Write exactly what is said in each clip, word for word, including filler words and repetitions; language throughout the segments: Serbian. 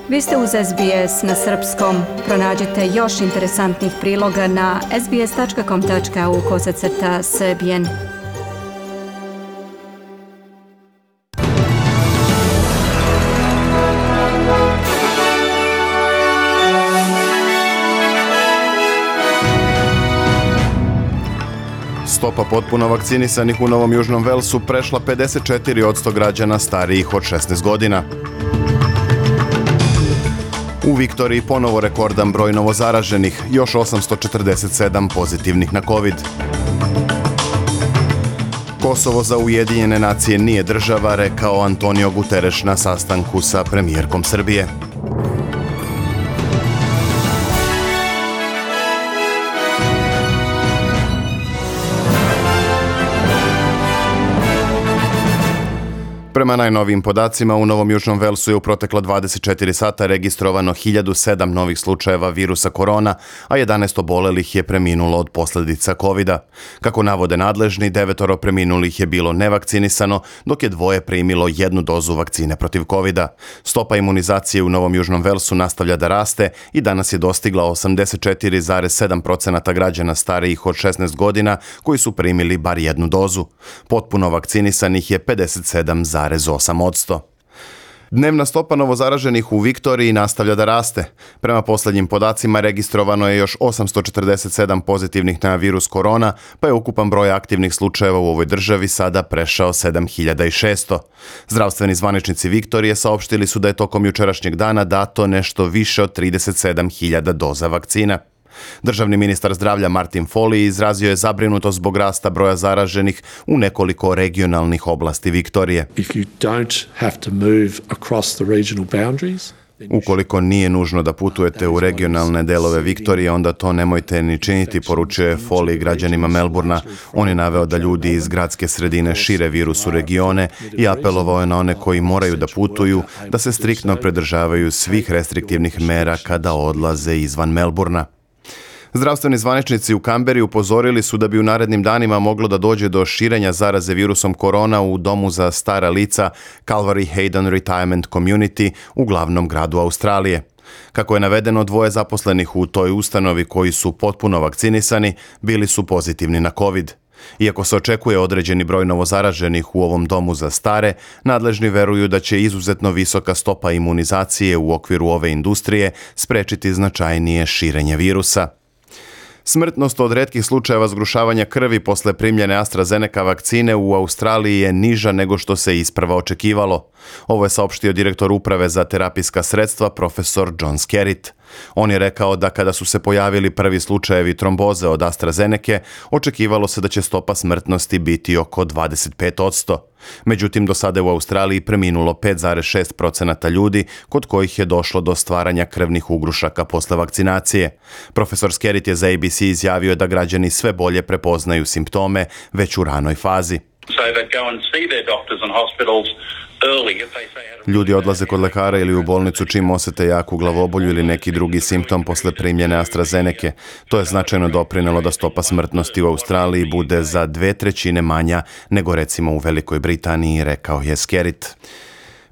Vi ste uz S B S na srpskom. Pronađite još interesantnih priloga na sbs.com.au kosacrta srbijen. Stopa potpuno vakcinisanih u Novom Južnom Velsu prešla pedeset četiri posto građana starijih od šesnaest godina. U Viktoriji ponovo rekordan broj novozaraženih, još osamsto četrdeset sedam pozitivnih na COVID. Kosovo za Ujedinjene nacije nije država, rekao Antonio Guterres na sastanku sa premijerkom Srbije. Prema najnovijim podacima, u Novom Južnom Velsu je u protekla dvadeset četiri sata registrovano hiljadu sedam novih slučajeva virusa korona, a jedanaest obolelih je preminulo od posljedica kovida. Kako navode nadležni, devetoro preminulih je bilo nevakcinisano, dok je dvoje primilo jednu dozu vakcine protiv kovida. Stopa imunizacije u Novom Južnom Velsu nastavlja da raste i danas je dostigla osamdeset četiri zarez sedam posto građana starijih od šesnaest godina koji su primili bar jednu dozu. Potpuno vakcinisanih je pedeset sedam zarez osam posto. Dnevna stopa novozaraženih u Viktoriji nastavlja da raste. Prema posljednjim podacima registrovano je još osamsto četrdeset sedam pozitivnih na virus korona, pa je ukupan broj aktivnih slučajeva u ovoj državi sada prešao sedam hiljada šesto. Zdravstveni zvaničnici Viktorije saopštili su da je tokom jučerašnjeg dana dato nešto više od trideset sedam hiljada doza vakcina. Državni ministar zdravlja Martin Foley izrazio je zabrinutost zbog rasta broja zaraženih u nekoliko regionalnih oblasti Viktorije. Ukoliko nije nužno da putujete u regionalne delove Viktorije, onda to nemojte ni činiti, poručuje Foley građanima Melburna. On je naveo da ljudi iz gradske sredine šire virus u regione i apelovao je na one koji moraju da putuju da se striktno pridržavaju svih restriktivnih mera kada odlaze izvan Melburna. Zdravstveni zvaničnici u Kamberi upozorili su da bi u narednim danima moglo da dođe do širenja zaraze virusom korona u domu za stara lica Calvary Hayden Retirement Community u glavnom gradu Australije. Kako je navedeno, dvoje zaposlenih u toj ustanovi koji su potpuno vakcinisani bili su pozitivni na COVID. Iako se očekuje određeni broj novozaraženih u ovom domu za stare, nadležni veruju da će izuzetno visoka stopa imunizacije u okviru ove industrije sprečiti značajnije širenje virusa. Smrtnost od retkih slučajeva zgrušavanja krvi posle primljene AstraZeneca vakcine u Australiji je niža nego što se isprva očekivalo. Ovo je saopštio direktor uprave za terapijska sredstva, profesor John Skerritt. On je rekao da kada su se pojavili prvi slučajevi tromboze od AstraZeneca, očekivalo se da će stopa smrtnosti biti oko dvadeset pet posto. Međutim, do sada je u Australiji preminulo pet zarez šest posto ljudi kod kojih je došlo do stvaranja krvnih ugrušaka posle vakcinacije. Profesor Skerritt je za A B C izjavio da građani sve bolje prepoznaju simptome već u ranoj fazi. Ljudi odlaze kod lekara ili u bolnicu čim osete jaku glavobolju ili neki drugi simptom posle primljene AstraZeneca. To je značajno doprinelo da stopa smrtnosti u Australiji bude za dve trećine manja nego recimo u Velikoj Britaniji, rekao je Skerritt.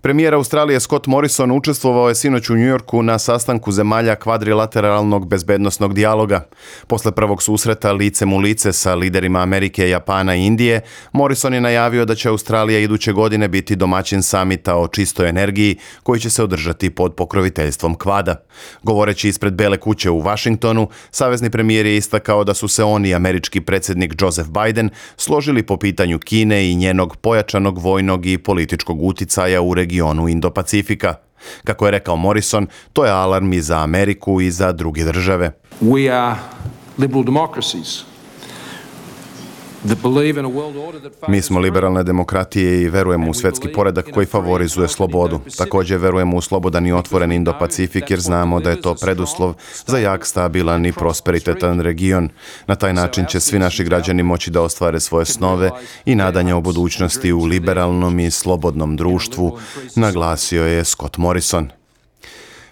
Premijer Australije Scott Morrison učestvovao je sinoć u Njujorku na sastanku zemalja kvadrilateralnog bezbednosnog dijaloga. Posle prvog susreta licem u lice sa liderima Amerike, Japana i Indije, Morrison je najavio da će Australija iduće godine biti domaćin samita o čistoj energiji koji će se održati pod pokroviteljstvom Kvada. Govoreći ispred Bele kuće u Washingtonu, savezni premijer je istakao da su se on i američki predsjednik Joseph Biden složili po pitanju Kine i njenog pojačanog vojnog i političkog uticaja u regionu regionu Indo-Pacifika. Kako je rekao Morrison, to je alarm i za Ameriku i za druge države. We are liberal democracies. Mi smo liberalne demokratije i verujemo u svjetski poredak koji favorizuje slobodu. Također verujemo u slobodan i otvoren Indo-Pacifik jer znamo da je to preduslov za jak, stabilan i prosperitetan region. Na taj način će svi naši građani moći da ostvare svoje snove i nadanja o budućnosti u liberalnom i slobodnom društvu, naglasio je Scott Morrison.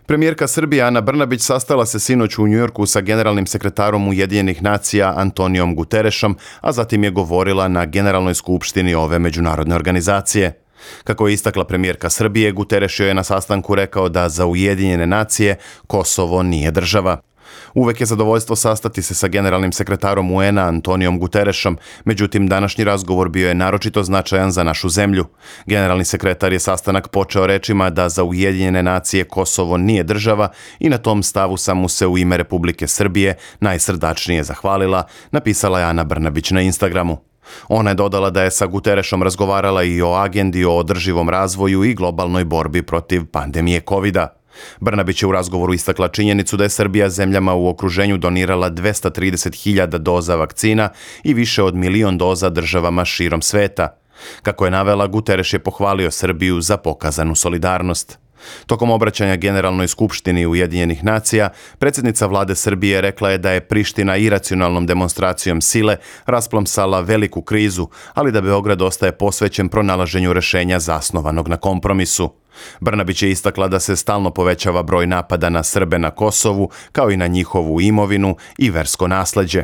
Premijerka Srbije Ana Brnabić sastala se sinoć u Njujorku sa generalnim sekretarom Ujedinjenih nacija Antonijom Guterresom, a zatim je govorila na Generalnoj skupštini ove međunarodne organizacije. Kako je istakla premijerka Srbije, Guterres joj je na sastanku rekao da za Ujedinjene nacije Kosovo nije država. Uvek je zadovoljstvo sastati se sa generalnim sekretarom U N a Antonijom Guterresom, međutim današnji razgovor bio je naročito značajan za našu zemlju. Generalni sekretar je sastanak počeo rečima da za Ujedinjene nacije Kosovo nije država i na tom stavu sam mu se u ime Republike Srbije najsrdačnije zahvalila, napisala je Ana Brnabić na Instagramu. Ona je dodala da je sa Guterresom razgovarala i o agendi o održivom razvoju i globalnoj borbi protiv pandemije kovida. Brnabić je u razgovoru istakla činjenicu da je Srbija zemljama u okruženju donirala dvesta trideset hiljada doza vakcina i više od milion doza državama širom sveta. Kako je navela, Guterres je pohvalio Srbiju za pokazanu solidarnost. Tokom obraćanja Generalnoj skupštini Ujedinjenih nacija, predsjednica vlade Srbije rekla je da je Priština iracionalnom demonstracijom sile rasplomsala veliku krizu, ali da Beograd ostaje posvećen pronalaženju rešenja zasnovanog na kompromisu. Brnabić je istakla da se stalno povećava broj napada na Srbe na Kosovu, kao i na njihovu imovinu i versko nasleđe.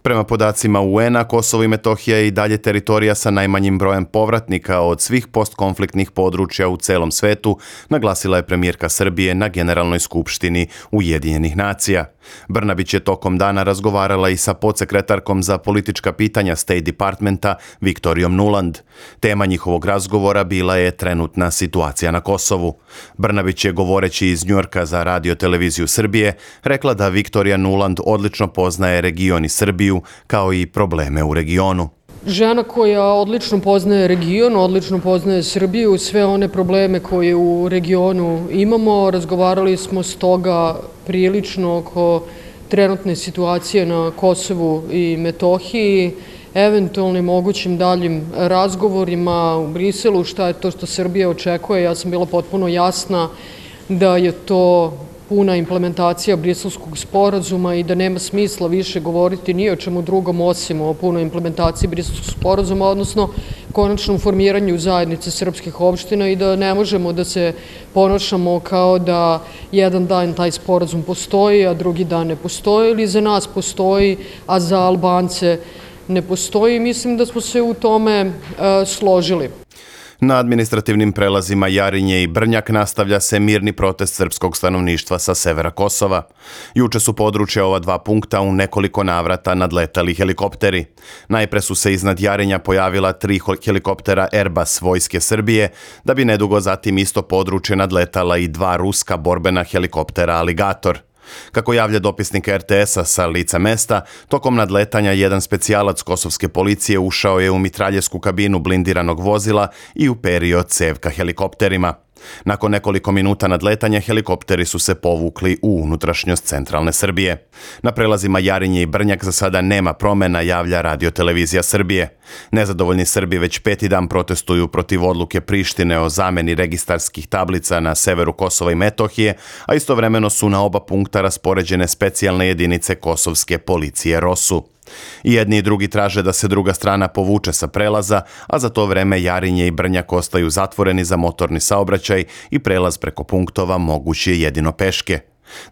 Prema podacima U N a, Kosovo i Metohija je i dalje teritorija sa najmanjim brojem povratnika od svih postkonfliktnih područja u celom svetu, naglasila je premijerka Srbije na Generalnoj skupštini Ujedinjenih nacija. Brnabić je tokom dana razgovarala i sa podsekretarkom za politička pitanja State Departmenta Viktorijom Nuland. Tema njihovog razgovora bila je trenutna situacija na Kosovu. Brnabić je, govoreći iz Njujorka za Radio televiziju Srbije, rekla da Viktorija Nuland odlično poznaje region i Srbiju, kao i probleme u regionu. Žena koja odlično poznaje region, odlično poznaje Srbiju, sve one probleme koje u regionu imamo. Razgovarali smo stoga prilično oko trenutne situacije na Kosovu i Metohiji, eventualnim mogućim daljim razgovorima u Briselu, šta je to što Srbija očekuje. Ja sam bila potpuno jasna da je to puna implementacija Briselskog sporazuma i da nema smisla više govoriti ni o čemu drugom osim o punoj implementaciji Briselskog sporazuma, odnosno konačnom formiranju zajednice srpskih opština i da ne možemo da se ponašamo kao da jedan dan taj sporazum postoji, a drugi dan ne postoji, ili za nas postoji, a za Albance ne postoji. Mislim da smo se u tome uh, složili. Na administrativnim prelazima Jarinje i Brnjak nastavlja se mirni protest srpskog stanovništva sa severa Kosova. Juče su područja ova dva punkta u nekoliko navrata nadletali helikopteri. Najpre su se iznad Jarinja pojavila tri helikoptera Airbus Vojske Srbije, da bi nedugo zatim isto područje nadletala i dva ruska borbena helikoptera Aligator. Kako javlja dopisnik R T S a sa lica mesta, tokom nadletanja jedan specijalac kosovske policije ušao je u mitraljevsku kabinu blindiranog vozila i uperio cev ka helikopterima. Nakon nekoliko minuta nadletanja, helikopteri su se povukli u unutrašnjost centralne Srbije. Na prelazima Jarinje i Brnjak za sada nema promena, javlja Radio televizija Srbije. Nezadovoljni Srbi već peti dan protestuju protiv odluke Prištine o zameni registarskih tablica na severu Kosova i Metohije, a istovremeno su na oba punkta raspoređene specijalne jedinice kosovske policije ROSU. I jedni i drugi traže da se druga strana povuče sa prelaza, a za to vreme Jarinje i Brnjak ostaju zatvoreni za motorni saobraćaj i prelaz preko punktova moguć je jedino peške.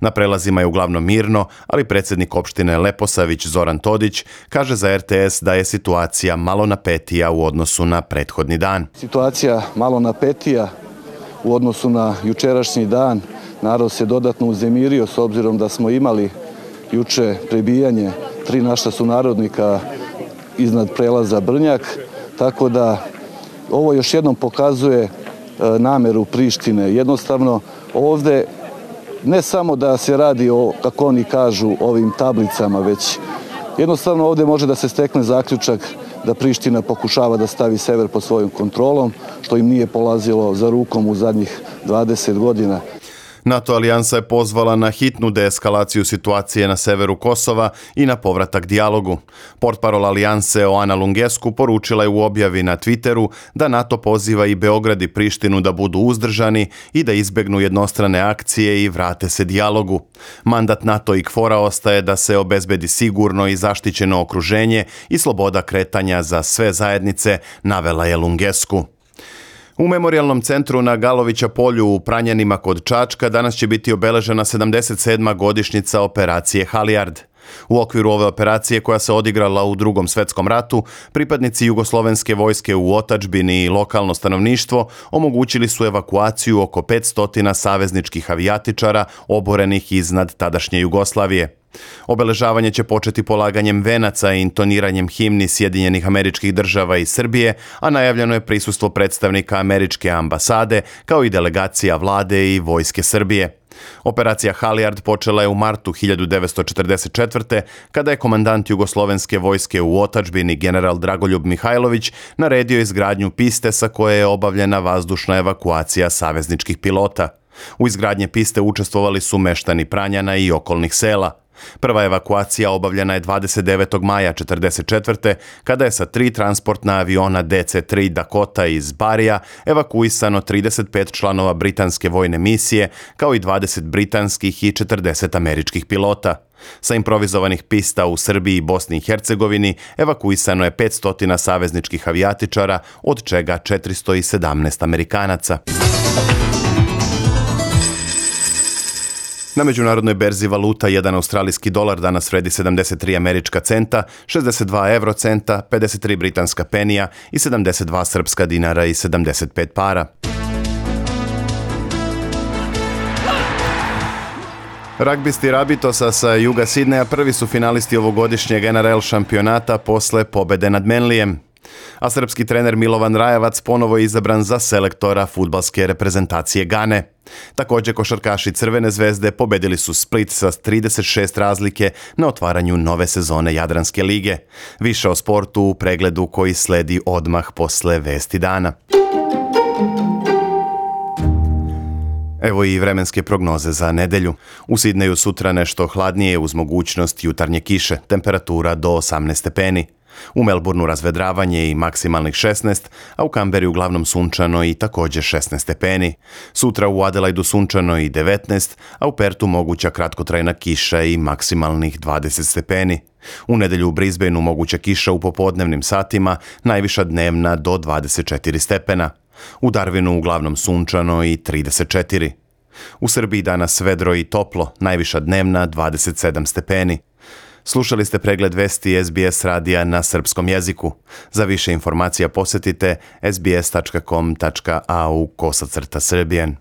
Na prelazima je uglavnom mirno, ali predsjednik opštine Leposavić Zoran Todić kaže za R T S da je situacija malo napetija u odnosu na prethodni dan. Situacija malo napetija u odnosu na jučerašnji dan. Narod se dodatno uznemirio s obzirom da smo imali juče prebijanje tri naša sunarodnika iznad prelaza Brnjak, tako da ovo još jednom pokazuje nameru Prištine. Jednostavno ovde ne samo da se radi o, kako oni kažu, ovim tablicama, već jednostavno ovde može da se stekne zaključak da Priština pokušava da stavi sever pod svojom kontrolom, što im nije polazilo za rukom u zadnjih dvadeset godina. NATO alijansa je pozvala na hitnu deeskalaciju situacije na severu Kosova i na povratak dijalogu. Portparol alijanse Oana Lungescu poručila je u objavi na Twitteru da NATO poziva i Beograd i Prištinu da budu uzdržani i da izbegnu jednostrane akcije i vrate se dijalogu. Mandat NATO i KFOR-a ostaje da se obezbedi sigurno i zaštićeno okruženje i sloboda kretanja za sve zajednice, navela je Lungescu. U Memorijalnom centru na Galovića polju u Pranjanima kod Čačka danas će biti obeležena sedamdeset sedma godišnjica operacije Halijard. U okviru ove operacije koja se odigrala u Drugom svetskom ratu, pripadnici jugoslovenske vojske u otadžbini i lokalno stanovništvo omogućili su evakuaciju oko petsto savezničkih avijatičara oborenih iznad tadašnje Jugoslavije. Obeležavanje će početi polaganjem venaca i intoniranjem himni Sjedinjenih Američkih Država i Srbije, a najavljeno je prisustvo predstavnika američke ambasade kao i delegacija vlade i vojske Srbije. Operacija Halijard počela je u martu hiljadu devetsto četrdeset četvrte. kada je komandant jugoslovenske vojske u otadžbini general Dragoljub Mihajlović naredio izgradnju piste sa koje je obavljena vazdušna evakuacija savezničkih pilota. U izgradnje piste učestvovali su meštani Pranjana i okolnih sela. Prva evakuacija obavljena je dvadeset devetog maja četrdeset četvrte. kada je sa tri transportna aviona D C tri Dakota iz Barija evakuisano trideset pet članova britanske vojne misije, kao i dvadeset britanskih i četrdeset američkih pilota. Sa improvizovanih pista u Srbiji i Bosni i Hercegovini evakuisano je petsto savezničkih avijatičara, od čega četiristo sedamnaest Amerikanaca. Na međunarodnoj berzi valuta jedan australijski dolar danas vredi sedamdeset tri američka centa, šezdeset dva evrocenta, pedeset tri britanska penija i sedamdeset dva srpska dinara i sedamdeset pet para. Ragbisti Rabitosa sa juga Sidneja prvi su finalisti ovogodišnjeg N R L šampionata posle pobede nad Menlijem. A srpski trener Milovan Rajevac ponovo je izabran za selektora fudbalske reprezentacije Gane. Također košarkaši Crvene zvezde pobedili su Split sa trideset šest razlike na otvaranju nove sezone Jadranske lige. Više o sportu u pregledu koji sledi odmah posle vesti dana. Evo i vremenske prognoze za nedelju. U Sidneju sutra nešto hladnije uz mogućnost jutarnje kiše, temperatura do osamnaest stepeni. U Melbourneu razvedravanje i maksimalnih šesnaest, a u Kamberi uglavnom sunčano i također šesnaest stepeni. Sutra u Adelaidu sunčano i devetnaest, a u Pertu moguća kratkotrajna kiša i maksimalnih dvadeset stepeni. U nedelju u Brisbaneu moguća kiša u popodnevnim satima, najviša dnevna do dvadeset četiri stepena. U Darwinu uglavnom sunčano i trideset četiri. U Srbiji danas vedro i toplo, najviša dnevna dvadeset sedam stepeni. Slušali ste pregled vesti S B S radija na srpskom jeziku. Za više informacija posjetite s b s tačka com tačka a u kosacrta srbijen.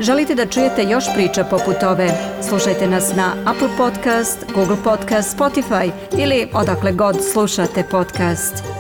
Želite da čujete još priča poput ove? Slušajte nas na Apple Podcast, Google Podcast, Spotify ili odakle god slušate podcast.